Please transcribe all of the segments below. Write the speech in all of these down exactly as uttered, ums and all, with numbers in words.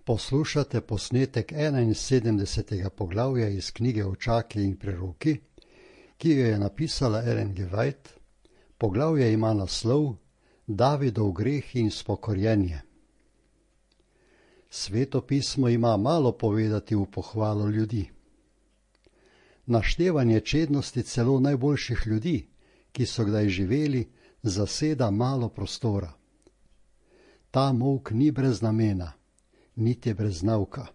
Poslušate posnetek enainsedemdesetega poglavja iz knjige Očaki in preroki, ki jo je napisala Ellen G. White. Poglavje ima naslov Davidov greh in spokorjenje. Sveto pismo ima malo povedati v pohvalo ljudi. Naštevanje čednosti celo najboljših ljudi, ki so kdaj živeli, zaseda malo prostora. Ta molk ni brez namena, niti brez nauka.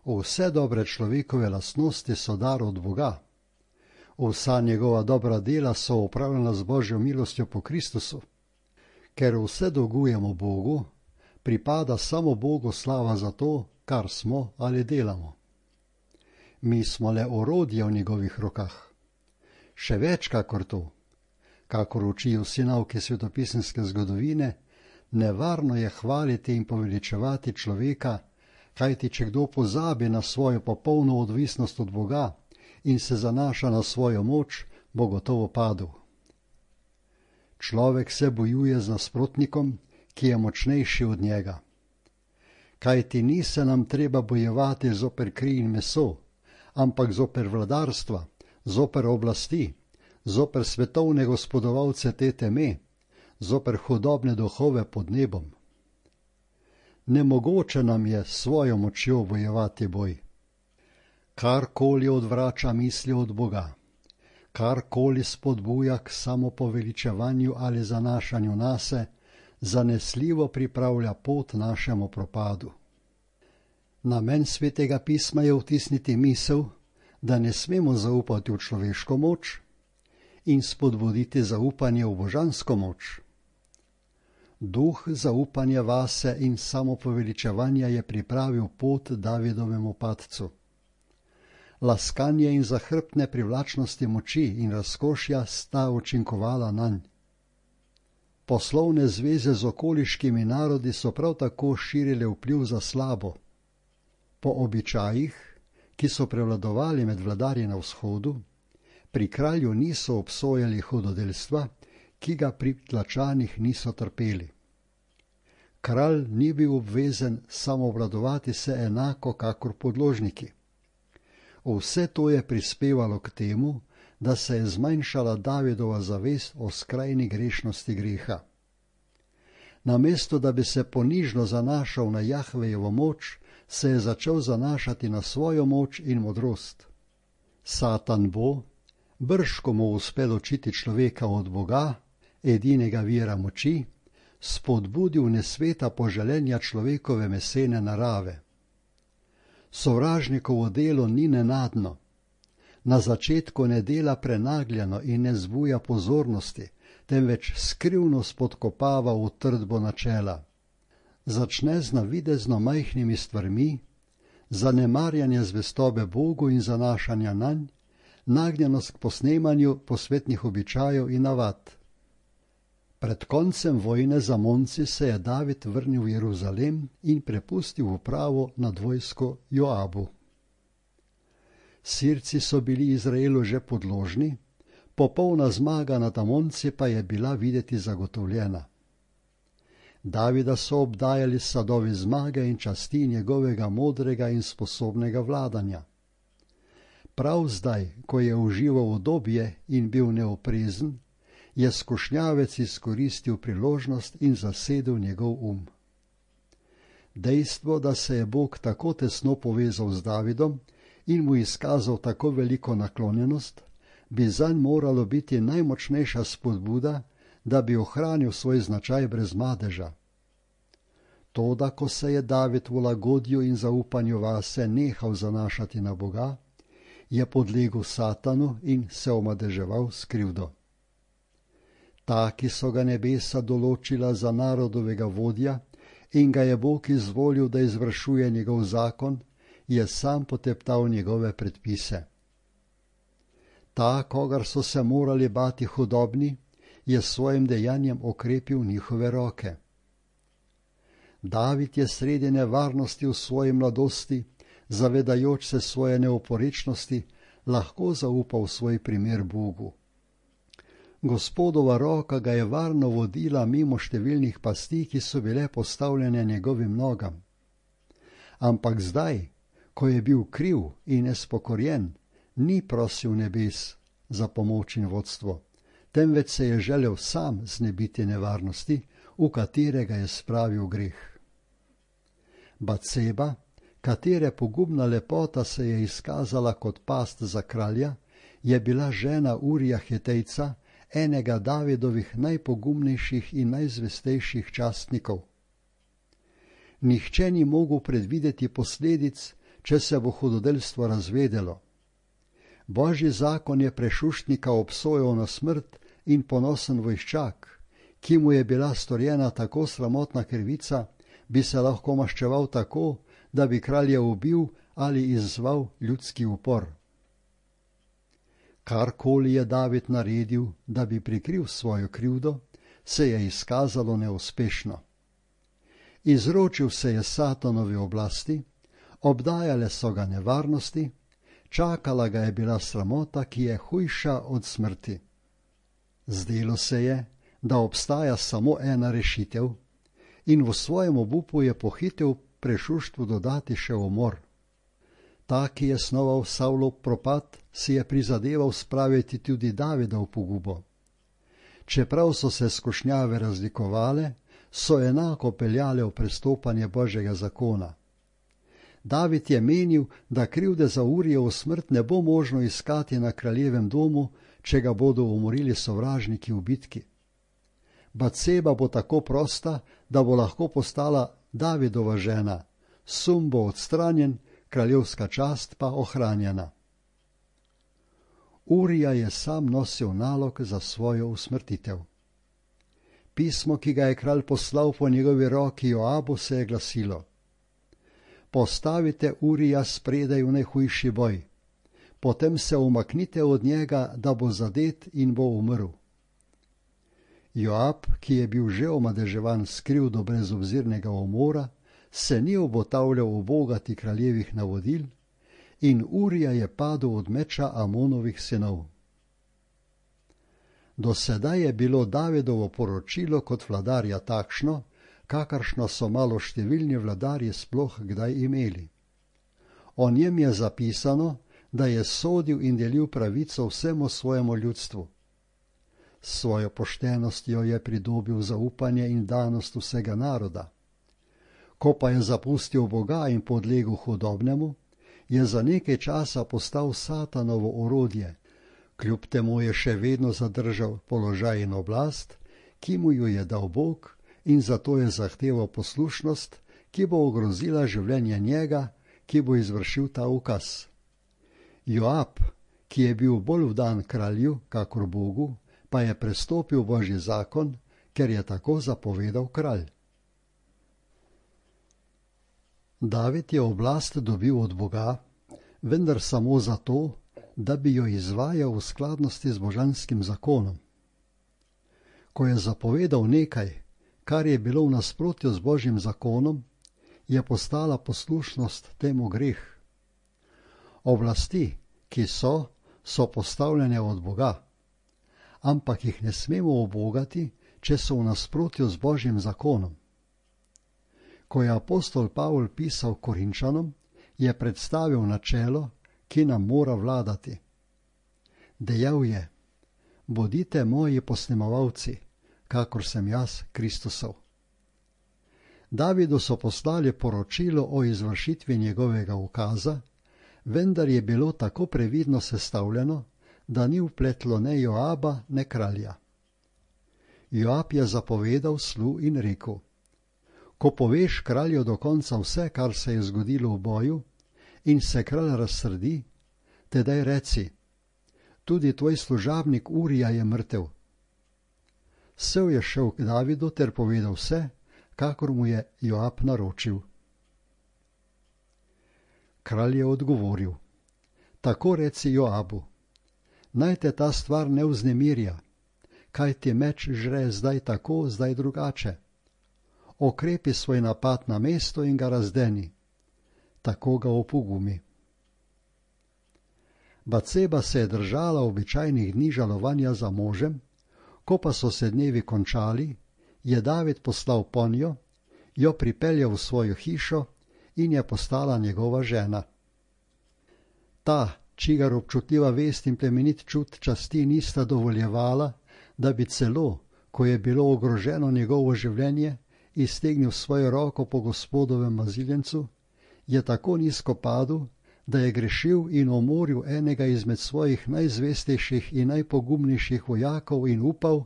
Vse dobre človekove lastnosti so dar od Boga. Vsa njegova dobra dela so opravljena z Božjo milostjo po Kristusu. Ker vse dolgujemo Bogu, pripada samo Bogu slava za to, kar smo ali delamo. Mi smo le orodje v njegovih rokah. Še več kakor to, kakor učijo vsi nauke svetopisemske zgodovine, nevarno je hvaliti in poveličevati človeka, kajti če kdo pozabi na svojo popolno odvisnost od Boga in se zanaša na svojo moč, bo gotovo padel. Človek se bojuje z nasprotnikom, ki je močnejši od njega. Kajti ni se nam treba bojevati zoper kri in meso, ampak zoper vladarstva, zoper oblasti, zoper svetovne gospodovalce te teme, zoper hudobne duhove pod nebom. Nemogoče nam je svojo močjo bojevati boj. Karkoli odvrača misli od Boga, karkoli spodbuja k samopoveličevanju ali zanašanju nase, zanesljivo pripravlja pot našemu propadu. Namen svetega pisma je vtisniti misel, da ne smemo zaupati v človeško moč in spodbuditi zaupanje v božansko moč. Duh zaupanja vase in samopoveličevanja je pripravil pot Davidovemu padcu. Laskanje in zahrbtne privlačnosti moči in razkošja sta učinkovala nanj. Poslovne zveze z okoliškimi narodi so prav tako širile vpliv za slabo. Po običajih, ki so prevladovali med vladarji na vzhodu, pri kralju niso obsojali hudodelstva, ki ga pri tlačanih niso trpeli. Kralj ni bil obvezen samoobvladovati se enako kakor podložniki. Vse to je prispevalo k temu, da se je zmanjšala Davidova zavest o skrajni grešnosti greha. Namesto da bi se ponižno zanašal na Jahvejevo moč, se je začel zanašati na svojo moč in modrost. Satan bo, brž ko mu uspe ločiti človeka od Boga, edinega vira moči, spodbudil nesveta poželenja človekove mesene narave. Sovražnikovo delo ni nenadno. Na začetku ne dela prenagljeno in ne zbuja pozornosti, temveč skrivno spodkopava utrdbo načela. Začne z navidezno majhnimi stvarmi, zanemarjanje zvestobe Bogu in zanašanja nanj, nagnjenost k posnemanju posvetnih običajev in navad. Pred koncem vojne z Amonci se je David vrnil v Jeruzalem in prepustil upravo nad vojsko Joabu. Sirci so bili Izraelu že podložni, popolna zmaga nad Amonci pa je bila videti zagotovljena. Davida so obdajali sadovi zmage in časti njegovega modrega in sposobnega vladanja. Prav zdaj, ko je užival udobje in bil neoprezen, je skušnjavec izkoristil priložnost in zasedel njegov um. Dejstvo, da se je Bog tako tesno povezal z Davidom in mu izkazal tako veliko naklonjenost, bi zanj moralo biti najmočnejša spodbuda, da bi ohranil svoj značaj brez madeža. Toda, ko se je David v lagodju in zaupanju vase nehal zanašati na Boga, je podlegel Satanu in se omadeževal s krivdo. Ta, ki so ga nebesa določila za narodovega vodja in ga je Bog izvolil, da izvršuje njegov zakon, je sam poteptal njegove predpise. Ta, kogar so se morali bati hudobni, je s svojim dejanjem okrepil njihove roke. David je sredi nevarnosti v svoji mladosti, zavedajoč se svoje neoporečnosti, lahko zaupal svoj primer Bogu. Gospodova roka ga je varno vodila mimo številnih pasti, ki so bile postavljene njegovim nogam. Ampak zdaj, ko je bil kriv in nespokorjen, ni prosil nebes za pomoč in vodstvo, temveč se je želel sam znebiti nevarnosti, v katerega je spravil greh. Batseba, katere pogubna lepota se je izkazala kot past za kralja, je bila žena Urija Hetejca, enega Davidovih najpogumnejših in najzvestejših častnikov. Nihče ni mogel predvideti posledic, če se bo hudodelstvo razvedelo. Božji zakon je prešuštnika obsojal na smrt in ponosen vojščak, ki mu je bila storjena tako sramotna krivica, bi se lahko maščeval tako, da bi kralja ubil ali izzval ljudski upor. Karkoli je David naredil, da bi prikril svojo krivdo, se je izkazalo neuspešno. Izročil se je Satanovi oblasti, obdajale so ga nevarnosti, čakala ga je bila sramota, ki je hujša od smrti. Zdelo se je, da obstaja samo ena rešitev, in v svojem obupu je pohitel prešuštvu dodati še umor. Ta, ki je snoval Savlov propad, si je prizadeval spraviti tudi Davida v pogubo. Čeprav so se skušnjave razlikovale, so enako peljale v prestopanje Božjega zakona. David je menil, da krivde za Urijevo smrt ne bo možno iskati na kraljevem domu, če ga bodo umorili sovražniki v bitki. Batseba bo tako prosta, da bo lahko postala Davidova žena, sum bo odstranjen, kraljevska čast pa ohranjena. Urija je sam nosil nalog za svojo usmrtitev. Pismo, ki ga je kralj poslal po njegovi roki Joabu, se je glasilo: Postavite Urija spredaj v najhujši boj, potem se umaknite od njega, da bo zadet in bo umrl. Joab, ki je bil že omadeževan s krivdo brezobzirnega umora, se ni obotavljal ubogati kraljevih navodil in Urija je padel od meča Amonovih sinov. Do sedaj je bilo Davidovo poročilo kot vladarja takšno, kakršno so maloštevilni vladarji sploh kdaj imeli. O njem je zapisano, da je sodil in delil pravico vsemu svojemu ljudstvu. S svojo poštenostjo je pridobil zaupanje in danost vsega naroda. Ko pa je zapustil Boga in podlegel hudobnemu, je za nekaj časa postal Satanovo orodje, kljub temu je še vedno zadržal položaj in oblast, ki mu jo je dal Bog, in zato je zahteval poslušnost, ki bo ogrozila življenje njega, ki bo izvršil ta ukaz. Joab, ki je bil bolj vdan kralju kakor Bogu, pa je prestopil Božji zakon, ker je tako zapovedal kralj. David je oblast dobil od Boga, vendar samo zato, da bi jo izvajal v skladnosti z božanskim zakonom. Ko je zapovedal nekaj, kar je bilo v nasprotju z Božjim zakonom, je postala poslušnost temu greh. Oblasti, ki so, so postavljene od Boga, ampak jih ne smemo ubogati, če so v nasprotju z Božjim zakonom. Ko je apostol Pavol pisal Korinčanom, je predstavil načelo, ki nam mora vladati. Dejal je: bodite moji posnemovalci, kakor sem jaz Kristusov. Davidu so poslali poročilo o izvršitvi njegovega ukaza, vendar je bilo tako previdno sestavljeno, da ni vpletlo ne Joaba, ne kralja. Joab je zapovedal slu in rekel: ko poveš kralju do konca vse, kar se je zgodilo v boju, in se kralj razsrdi, tedaj reci: tudi tvoj služabnik Urija je mrtev. Sev je šel k Davidu ter povedal vse, kakor mu je Joab naročil. Kralj je odgovoril: tako reci Joabu, naj te ta stvar ne vznemirja, kaj ti meč žre zdaj tako, zdaj drugače. Okrepi svoj napad na mesto in ga razdeni, tako ga opogumi. Batseba se je držala običajnih dni žalovanja za možem, ko pa so se dnevi končali, je David poslal ponjo, jo pripeljal v svojo hišo in je postala njegova žena. Ta, čigar občutljiva vest in plemenit čut časti nista dovoljevala, da bi celo, ko je bilo ogroženo njegovo življenje, iztegnil svojo roko po Gospodovem maziljencu, je tako nizko padel, da je grešil in umoril enega izmed svojih najzvestejših in najpogumnejših vojakov in upal,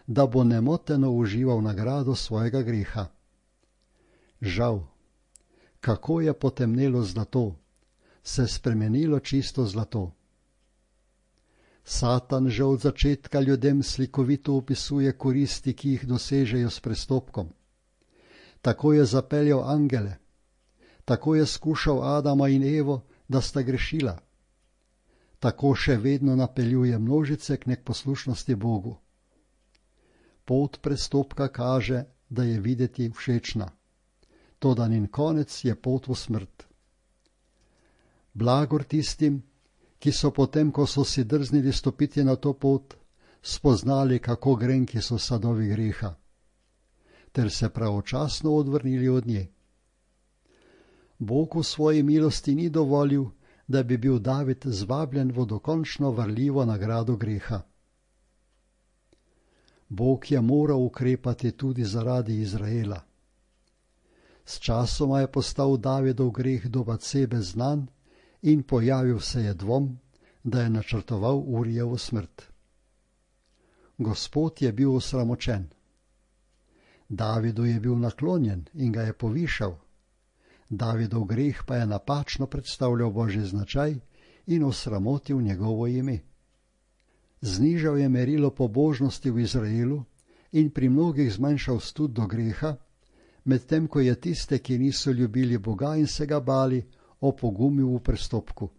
da bo nemoteno užival nagrado svojega greha. Žal, kako je potemnelo zlato, se spremenilo čisto zlato. Satan že od začetka ljudem slikovito opisuje koristi, ki jih dosežejo s prestopkom. Tako je zapeljal angele, tako je skušal Adama in Evo, da sta grešila. Tako še vedno napeljuje množice k neposlušnosti Bogu. Pot prestopka kaže, da je videti všečna, toda njen konec je pot v smrt. Blagor tistim, ki so potem, ko so si drznili stopiti na to pot, spoznali, kako grenki so sadovi greha, ter se pravočasno odvrnili od nje. Bog v svoji milosti ni dovolil, da bi bil David zvabljen v dokončno varljivo nagrado greha. Bog je moral ukrepati tudi zaradi Izraela. S časoma je postal Davidov greh do Batsebe znan in pojavil se je dvom, da je načrtoval Urijevo smrt. Gospod je bil osramočen. Davidu je bil naklonjen in ga je povišal. Davidov greh pa je napačno predstavljal Božji značaj in osramotil njegovo ime. Znižal je merilo pobožnosti v Izraelu in pri mnogih zmanjšal stud do greha, medtem ko je tiste, ki niso ljubili Boga in se ga bali, opogumil v prestopku.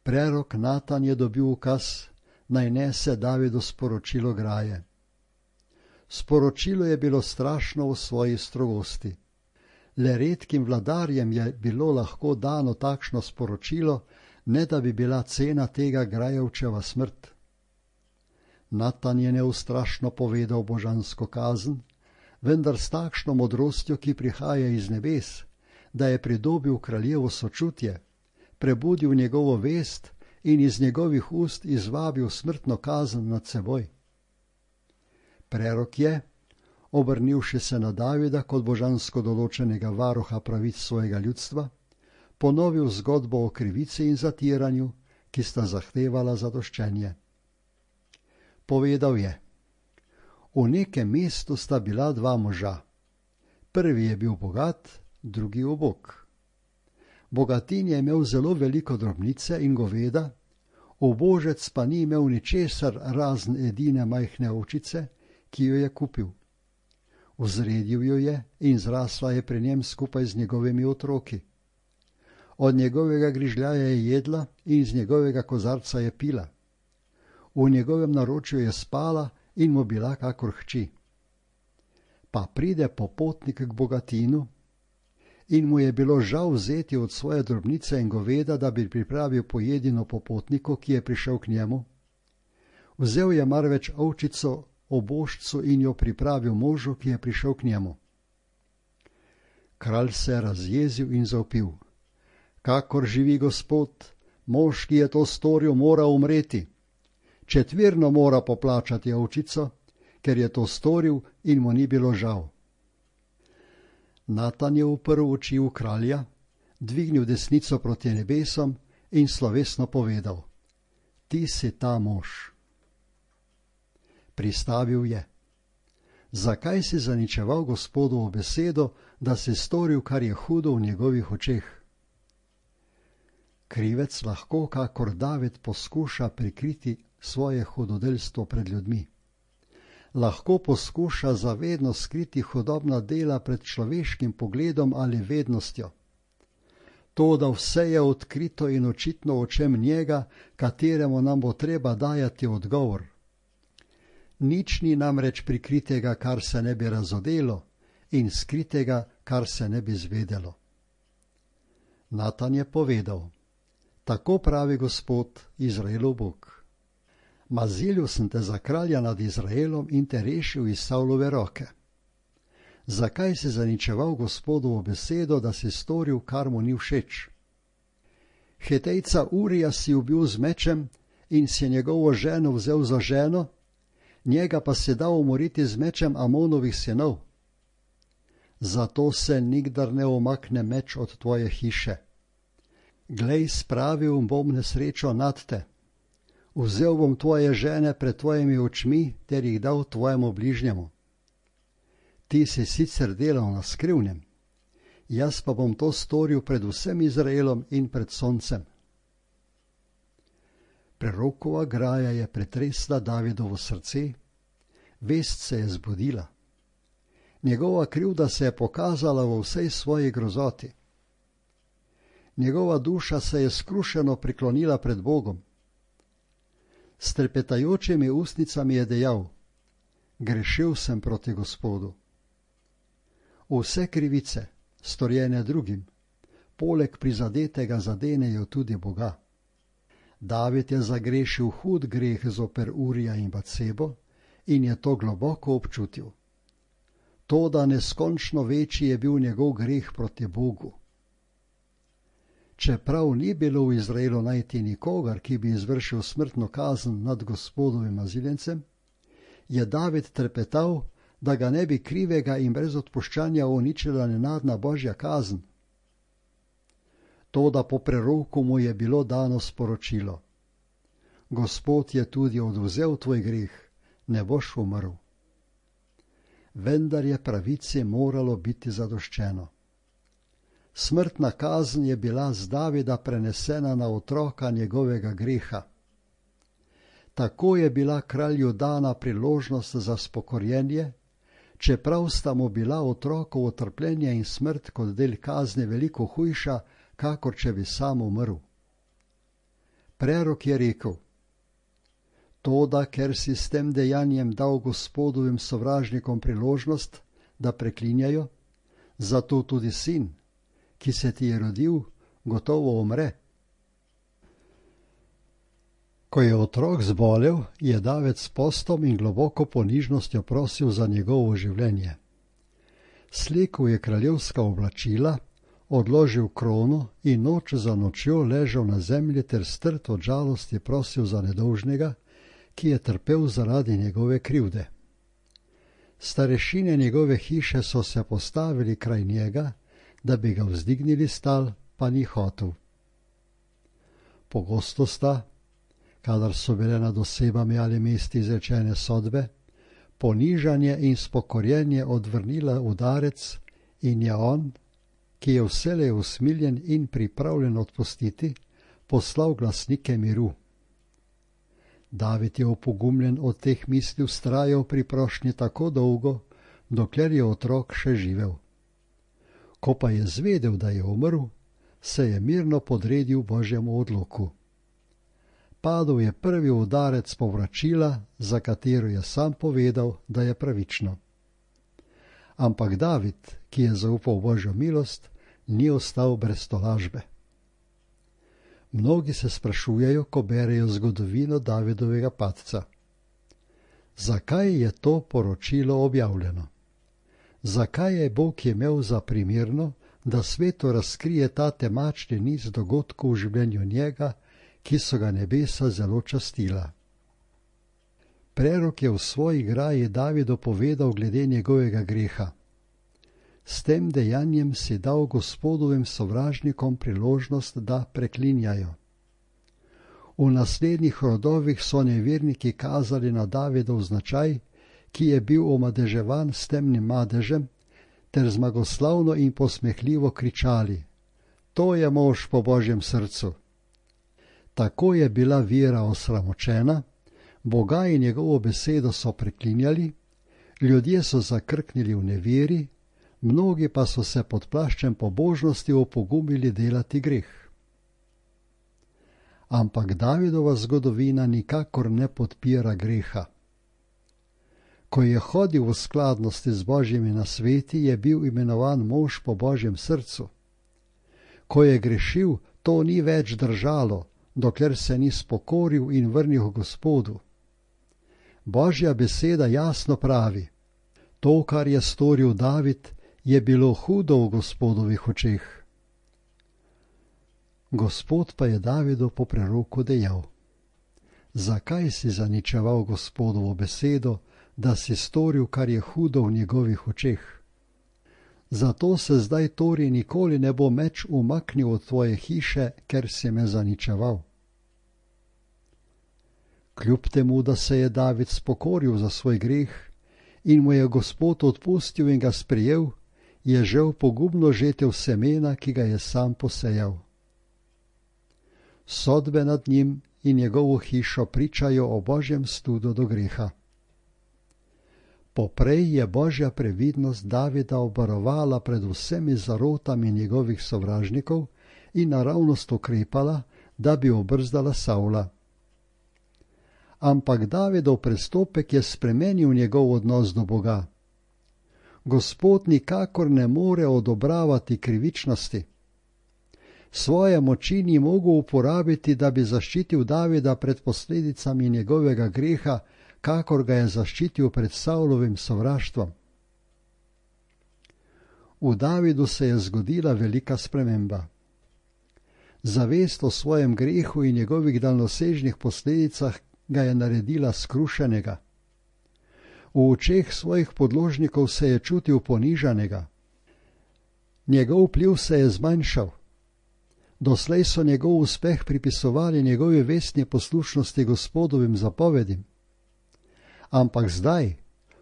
Prerok Natan je dobil ukaz, naj nese Davidu sporočilo graje. Sporočilo je bilo strašno v svoji strogosti. Le redkim vladarjem je bilo lahko dano takšno sporočilo, ne da bi bila cena tega grajevčeva smrt. Natan je neustrašno povedal božansko kazen, vendar s takšno modrostjo, ki prihaja iz nebes, da je pridobil kraljevo sočutje, prebudil njegovo vest in iz njegovih ust izvabil smrtno kazen nad seboj. Prerok je, obrnivši se na Davida kot božansko določenega varuha pravic svojega ljudstva, ponovil zgodbo o krivici in zatiranju, ki sta zahtevala zadoščenje. Povedal je: v nekem mestu sta bila dva moža. Prvi je bil bogat, drugi ubog. Bogatin je imel zelo veliko drobnice in goveda, ubožec pa ni imel ničesar razen edine majhne ovčice, ki jo je kupil. Vzredil jo je in zrasla je pri njem skupaj z njegovimi otroki. Od njegovega grižljaja je jedla in iz njegovega kozarca je pila. V njegovem naročju je spala in mu bila kakor hči. Pa pride popotnik k bogatinu in mu je bilo žal vzeti od svoje drobnice in goveda, da bi pripravil pojedino popotniku, ki je prišel k njemu. Vzel je marveč ovčico obožcu in jo pripravil možu, ki je prišel k njemu. Kralj se je razjezil in zavpil: kakor živi Gospod, mož, ki je to storil, mora umreti. Četvirno mora poplačati ovčico, ker je to storil in mu ni bilo žal. Natan je uprl oči v kralja, dvignil desnico proti nebesom in slovesno povedal: ti si ta mož. Pristavil je: zakaj si zaničeval Gospodovo besedo, da si storil, kar je hudo v njegovih očeh? Krivec lahko, kakor David, poskuša prikriti svoje hudodelstvo pred ljudmi. Lahko poskuša zavedno skriti hudobna dela pred človeškim pogledom ali vednostjo. To, da vse je odkrito in očitno očem njega, kateremu nam bo treba dajati odgovor. Nič ni namreč prikritega, kar se ne bi razodelo, in skritega, kar se ne bi zvedelo. Natan je povedal: tako pravi Gospod, Izraelov Bog. Mazilil sem te za kralja nad Izraelom in te rešil iz Savlove roke. Zakaj si zaničeval Gospodovo besedo, da si storil, kar mu ni všeč? Hetejca Urija si ubil z mečem in si njegovo ženo vzel za ženo, njega pa si dal umoriti z mečem Amonovih sinov. Zato se nikdar ne omakne meč od tvoje hiše. Glej, spravil bom nesrečo nad te. Vzel bom tvoje žene pred tvojimi očmi ter jih dal tvojemu bližnjemu. Ti si sicer delal na skrivnem, jaz pa bom to storil pred vsem Izraelom in pred soncem. Prerokova graja je pretresla Davidovo srce, vest se je zbudila. Njegova krivda se je pokazala v vsej svoji grozoti. Njegova duša se je skrušeno priklonila pred Bogom. S trepetajočimi ustnicami je dejal: grešil sem proti Gospodu. Vse krivice, storjene drugim, poleg prizadetega zadenejo tudi Boga. David je zagrešil hud greh zoper Urija in Batsebo in je to globoko občutil. Toda neskončno večji je bil njegov greh proti Bogu. Čeprav ni bilo v Izraelu najti nikogar, ki bi izvršil smrtno kazen nad Gospodovim aziljencem, je David trepetal, da ga ne bi krivega in brez odpuščanja uničila nenadna božja kazen. Toda po preroku mu je bilo dano sporočilo: Gospod je tudi odvzel tvoj greh, ne boš umrl. Vendar je pravici moralo biti zadoščeno. Smrtna kazen je bila z Davida prenesena na otroka njegovega greha. Tako je bila kralju dana priložnost za spokorjenje, čeprav sta mu bila otrokovo trpljenje in smrt kot del kazni veliko hujša, kakor če bi sam umrl. Prerok je rekel: Toda, ker si s tem dejanjem dal Gospodovim sovražnikom priložnost, da preklinjajo, zato tudi sin, ki se ti je rodil, gotovo umre. Ko je otrok zbolel, je David s postom in globoko ponižnostjo prosil za njegovo življenje. Slekel je kraljevska oblačila, odložil krono in noč za nočjo ležal na zemlji ter strt od žalosti prosil za nedolžnega, ki je trpel zaradi njegove krivde. Starešine njegove hiše so se postavili kraj njega, da bi ga vzdignili s tal, pa ni hotel. Pogosto sta, kadar so bile nad osebami ali mesti izrečene sodbe, ponižanje in spokorjenje odvrnila udarec in je on, ki je vselej usmiljen in pripravljen odpustiti, poslal glasnike miru. David je opogumljen od teh misli vztrajal pri prošnji tako dolgo, dokler je otrok še živel. Ko pa je zvedel, da je umrl, se je mirno podredil Božjemu odloku. Padel je prvi udarec povračila, za katero je sam povedal, da je pravično. Ampak David, ki je zaupal Božjo milost, ni ostal brez tolažbe. Mnogi se sprašujejo, ko berejo zgodovino Davidovega padca. Zakaj je to poročilo objavljeno? Zakaj je Bog imel za primerno, da svetu razkrije ta temačni niz dogodkov v življenju njega, ki so ga nebesa zelo častila? Prerok je v svoji graji Davidu povedal glede njegovega greha. S tem dejanjem si dal Gospodovim sovražnikom priložnost, da preklinjajo. V naslednjih rodovih so neverniki kazali na Davidov značaj, ki je bil omadeževan s temnim madežem, ter zmagoslavno in posmehljivo kričali: To je mož po Božjem srcu. Tako je bila vera osramočena, Boga in njegovo besedo so preklinjali, ljudje so zakrknili v neveri, mnogi pa so se pod plaščem pobožnosti opogumili delati greh. Ampak Davidova zgodovina nikakor ne podpira greha. Ko je hodil v skladnosti z Božjimi nasveti, je bil imenovan mož po Božjem srcu. Ko je grešil, to ni več držalo, dokler se ni spokoril in vrnil Gospodu. Božja beseda jasno pravi: To, kar je storil David, je bilo hudo v Gospodovih očeh. Gospod pa je Davidu po preroku dejal: Zakaj si zaničeval Gospodovo besedo, da si storil, kar je hudo v njegovih očeh? Zato se zdaj torej nikoli ne bo meč umaknil od tvoje hiše, ker si me zaničeval. Kljub temu, da se je David spokoril za svoj greh in mu je Gospod odpustil in ga sprejel, je žel pogubno žetev semena, ki ga je sam posejal. Sodbe nad njim in njegovo hišo pričajo o Božjem studu do greha. Poprej je Božja previdnost Davida obvarovala pred vsemi zarotami njegovih sovražnikov in naravnost ukrepala, da bi obrzdala Savla. Ampak Davidov prestopek je spremenil njegov odnos do Boga. Gospod nikakor ne more odobravati krivičnosti. Svoje moči ni mogel uporabiti, da bi zaščitil Davida pred posledicami njegovega greha, kakor ga je zaščitil pred Savlovim sovraštvom. V Davidu se je zgodila velika sprememba. Zavest o svojem grehu in njegovih daljnosežnih posledicah ga je naredila skrušenega. V očeh svojih podložnikov se je čutil ponižanega. Njegov vpliv se je zmanjšal. Doslej so njegov uspeh pripisovali njegovi vestni poslušnosti Gospodovim zapovedim. Ampak zdaj,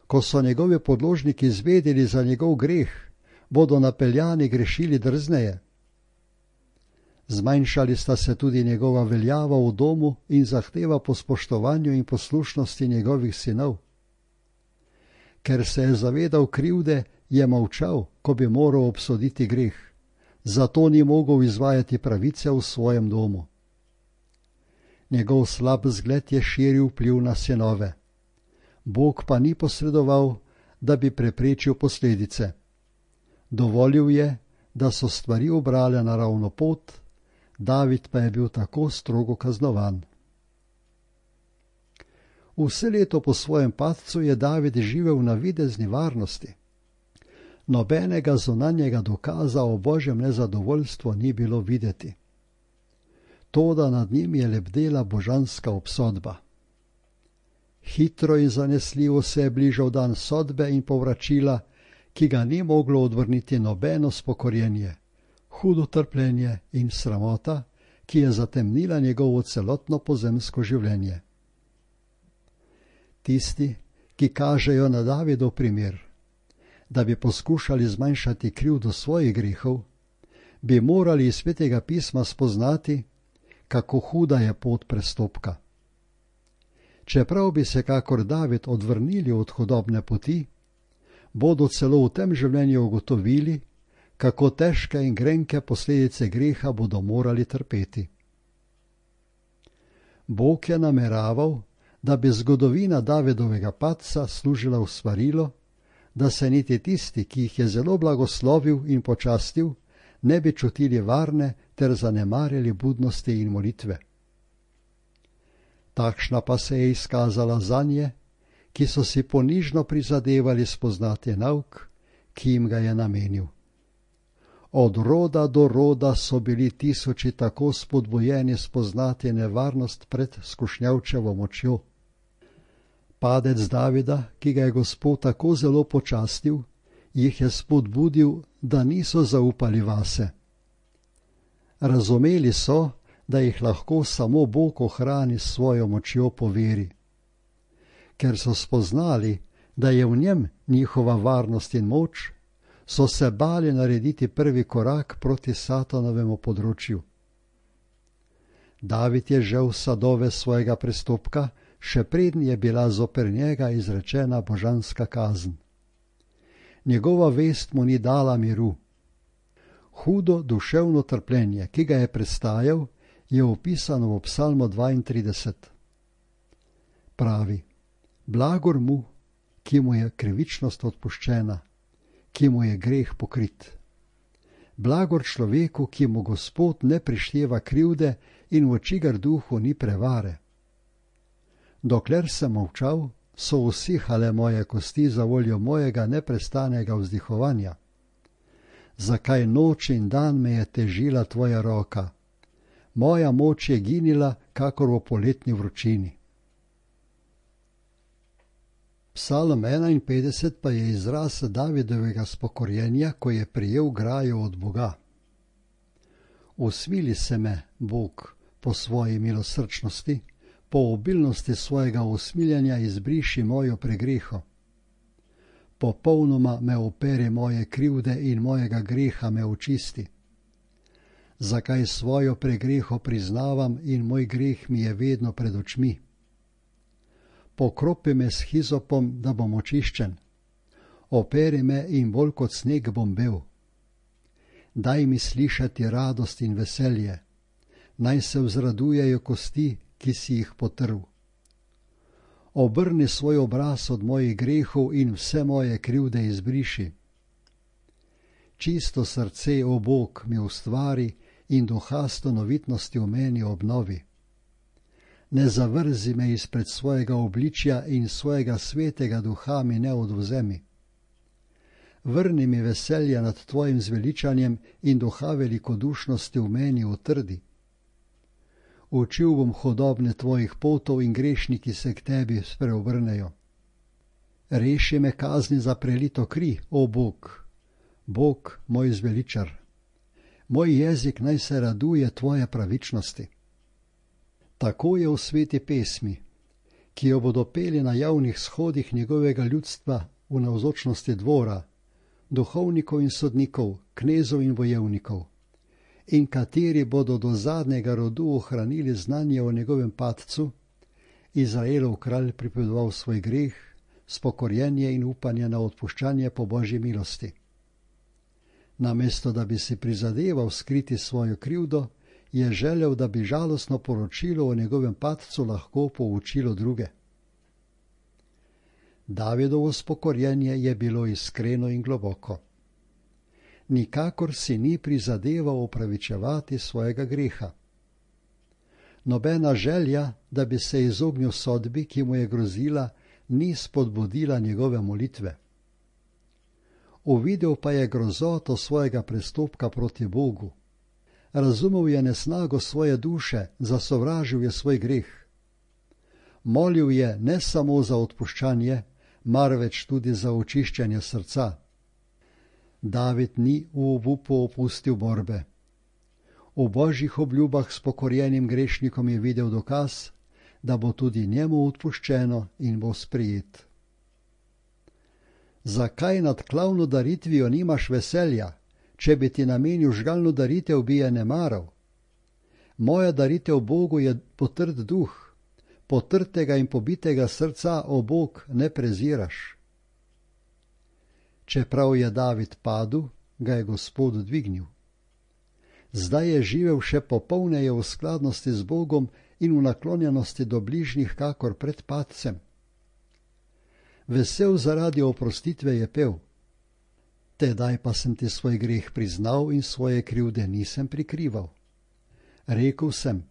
ko so njegovi podložniki izvedeli za njegov greh, bodo napeljani grešili drzneje. Zmanjšali sta se tudi njegova veljava v domu in zahteva po spoštovanju in poslušnosti njegovih sinov. Ker se je zavedal krivde, je molčal, ko bi moral obsoditi greh. Zato ni mogel izvajati pravice v svojem domu. Njegov slab zgled je širil vpliv na sinove. Bog pa ni posredoval, da bi preprečil posledice. Dovolil je, da so stvari ubrale naravno pot, David pa je bil tako strogo kaznovan. Vse leto po svojem padcu je David živel v navidezni varnosti. Nobenega zunanjega dokaza o Božjem nezadovoljstvu ni bilo videti. Toda nad njim je lebdela božanska obsodba. Hitro in zanesljivo se je bližal dan sodbe in povračila, ki ga ni moglo odvrniti nobeno spokorjenje, hudo trpljenje in sramota, ki je zatemnila njegovo celotno pozemsko življenje. Tisti, ki kažejo na Davidov primer, da bi poskušali zmanjšati krivdo svojih grehov, bi morali iz Svetega pisma spoznati, kako huda je pot prestopka. Čeprav bi se kakor David odvrnili od hudobne poti, bodo celo v tem življenju ugotovili, kako težke in grenke posledice greha bodo morali trpeti. Bog je nameraval, da bi zgodovina Davidovega padca služila v svarilo, da se niti tisti, ki jih je zelo blagoslovil in počastil, ne bi čutili varne ter zanemarjali budnosti in molitve. Takšna pa se je izkazala zanje, ki so si ponižno prizadevali spoznati nauk, ki jim ga je namenil. Od roda do roda so bili tisoči tako spodbujeni spoznati nevarnost pred skušnjavčevo močjo. Padec Davida, ki ga je Gospod tako zelo počastil, jih je spodbudil, da niso zaupali vase. Razumeli so, da jih lahko samo Bog ohrani s svojo močjo po veri. Ker so spoznali, da je v njem njihova varnost in moč, so se bali narediti prvi korak proti Satanovemu področju. David je žel sadove svojega prestopka, še preden je bila zoper njega izrečena božanska kazen. Njegova vest mu ni dala miru. Hudo duševno trpljenje, ki ga je prestajal, je opisano v Psalmu dvaintrideset. Pravi: blagor mu, ki mu je krivičnost odpuščena, ki mu je greh pokrit. Blagor človeku, ki mu Gospod ne prišteva krivde in v čigar duhu ni prevare. Dokler sem molčal, so usihale moje kosti za voljo mojega neprestanega vzdihovanja? Zakaj noč in dan me je težila tvoja roka? Moja moč je ginila, kakor v poletni vročini. Psalm enainpetdeset pa je izraz Davidovega spokorjenja, ko je prijel grajo od Boga. Usmili se me, Bog, po svoji milosrčnosti, po obilnosti svojega usmiljanja izbriši mojo pregreho. Popolnoma me operi moje krivde in mojega greha me očisti. Zakaj svojo pregreho priznavam in moj greh mi je vedno pred očmi? Pokropi me s hizopom, da bom očiščen. Operi me in bolj kot sneg bom bel. Daj mi slišati radost in veselje. Naj se vzradujejo kosti, ki si jih potrl. Obrni svoj obraz od mojih grehov in vse moje krivde izbriši. Čisto srce, o Bog, mi ustvari in duha stanovitnosti v meni obnovi. Ne zavrzi me izpred svojega obličja in svojega svetega duha mi ne odvzemi. Vrni mi veselje nad tvojim zveličanjem in duha velikodušnosti v meni utrdi. Učil bom hodobne tvojih potov in grešniki se k tebi spreobrnejo. Reši me kazni za prelito kri, o Bog, Bog moj zveličar. Moj jezik naj se raduje tvoje pravičnosti. Tako je v sveti pesmi, ki jo bodo peli na javnih shodih njegovega ljudstva v navzočnosti dvora, duhovnikov in sodnikov, knezov in bojevnikov, in kateri bodo do zadnjega rodu ohranili znanje o njegovem padcu, Izraelov kralj pripovedoval svoj greh, spokorjenje in upanje na odpuščanje po Božji milosti. Namesto da bi si prizadeval skriti svojo krivdo, je želel, da bi žalostno poročilo o njegovem padcu lahko poučilo druge. Davidovo spokorjenje je bilo iskreno in globoko. Nikakor si ni prizadeval opravičevati svojega greha. Nobena želja, da bi se izognil sodbi, ki mu je grozila, ni spodbudila njegove molitve. Uvidel pa je grozoto svojega prestopka proti Bogu. Razumel je nesnago svoje duše, zasovražil je svoj greh. Molil je ne samo za odpuščanje, marveč tudi za očiščenje srca. David ni v obupu opustil borbe. V Božjih obljubah s pokorjenim grešnikom je videl dokaz, da bo tudi njemu odpuščeno in bo sprijet. Zakaj nad klavno daritvijo nimaš veselja, če bi ti namenil žgalno daritev, bi je ne maral? Moja daritev Bogu je potrd duh, potrtega in pobitega srca, o Bog, ne preziraš. Čeprav je David padel, ga je Gospod dvignil. Zdaj je živel še popolneje v skladnosti z Bogom in v naklonjenosti do bližnjih, kakor pred padcem. Vesel zaradi oprostitve je pel. Tedaj pa sem ti svoj greh priznal in svoje krivde nisem prikrival. Rekel sem,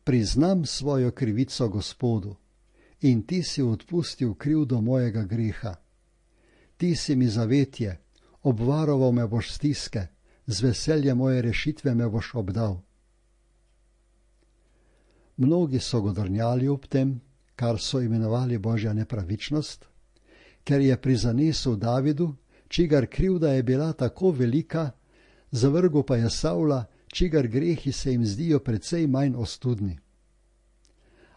priznam svojo krivico Gospodu in ti si odpustil krivdo mojega greha. Ti si mi zavetje, obvaroval me boš stiske, z veseljem moje rešitve me boš obdal. Mnogi so godrnjali ob tem, kar so imenovali Božja nepravičnost, ker je prizanesel Davidu, čigar krivda je bila tako velika, zavrgel pa je Savla, čigar grehi se jim zdijo precej manj ostudni.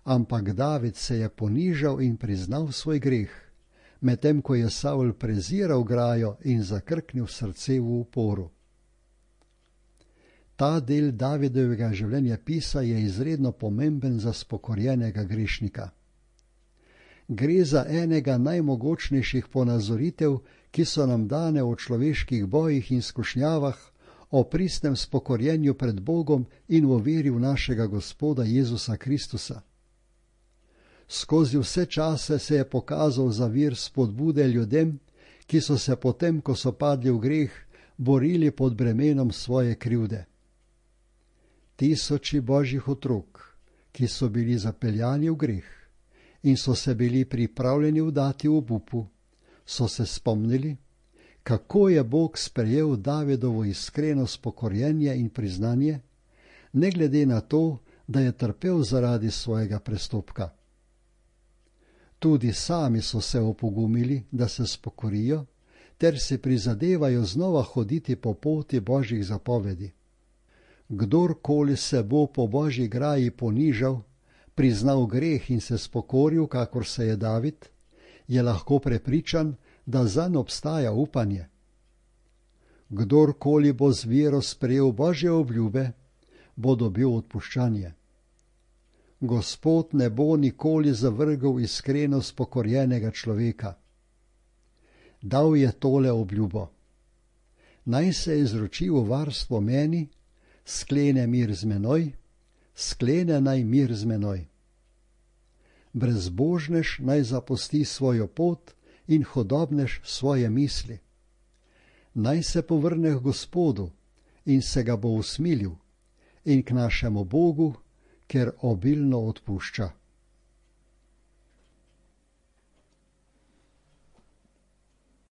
Ampak David se je ponižal in priznal svoj greh, medtem ko je Savl preziral grajo in zakrknil srce v uporu. Ta del Davidovega življenjepisa je izredno pomemben za spokorjenega grešnika. Gre za enega najmogočnejših ponazoritev, ki so nam dane v človeških bojih in skušnjavah, o pristnem spokorjenju pred Bogom in v veri v našega Gospoda Jezusa Kristusa. Skozi vse čase se je pokazal za vir spodbude ljudem, ki so se potem, ko so padli v greh, borili pod bremenom svoje krivde. Tisoči Božjih otrok, ki so bili zapeljani v greh in so se bili pripravljeni vdati obupu, so se spomnili, kako je Bog sprejel Davidovo iskreno spokorjenje in priznanje, ne glede na to, da je trpel zaradi svojega prestopka. Tudi sami so se opogumili, da se spokorijo, ter si prizadevajo znova hoditi po poti Božjih zapovedi. Kdorkoli se bo po Božji graji ponižal, priznal greh in se spokoril, kakor se je David, je lahko prepričan, da zanj obstaja upanje. Kdorkoli bo z vero sprejel Božje obljube, bo dobil odpuščanje. Gospod ne bo nikoli zavrgel iskreno spokorjenega človeka. Dal je tole obljubo: naj se izroči v varstvo meni, sklene mir z menoj, sklene naj mir z menoj. Brezbožnež naj zapusti svojo pot in hodobnež svoje misli. Naj se povrne k Gospodu in se ga bo usmilil, in k našemu Bogu, ker obilno odpušča.